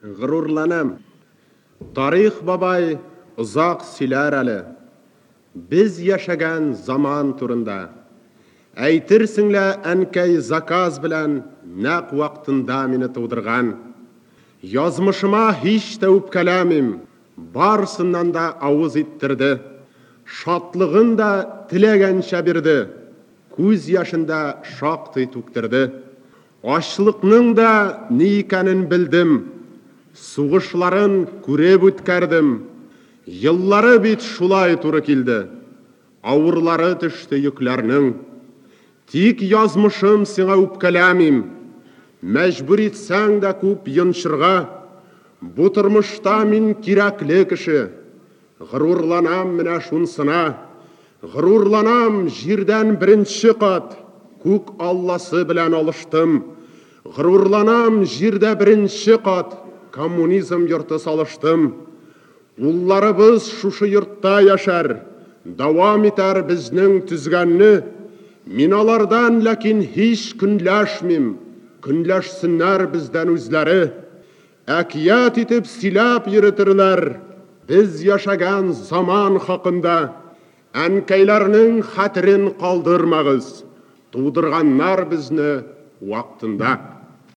Горурланам. Тарих бабай озак сөйләр әле без яшәгән заман турында. Әйтерсең лә әнкәй заказ белән нәкъ вакытында мине тудырган. Язмышыма һич тә үпкәләмим, барысыннан да авыз иттерде. Шатлыгын да теләгәнчә бирде, күз яшен дә шактый түктерде. Ачлыкның да ни икәнен белдем, сугышларын күреп үткәрдем. Еллары бит шулай туры килде, авырлары төште йөкләрнең. Тик язмышым сиңа үпкәләмим, мәҗбүр итсәң дә күп йончырга. Бу тормышта мин кирәкле кеше, горурланам менә шунсына. Горурланам, җирдән беренче кат күк алласы белән алыштым. Горурланам, җирдә беренче кат коммунизм йорты салыштым. Улларыбыз шушы йортта яшәр, дәвам итәр безнең төзгәнне. Мин алардан ләкин һич көнләшмим, көнләшсеннәр бездән үзләре. Әкият итеп сөйләп йөретерләр без яшәгән заман хакында. Әнкәйләрнең хәтерен калдырмагыз, тудырганнар безне вакытында.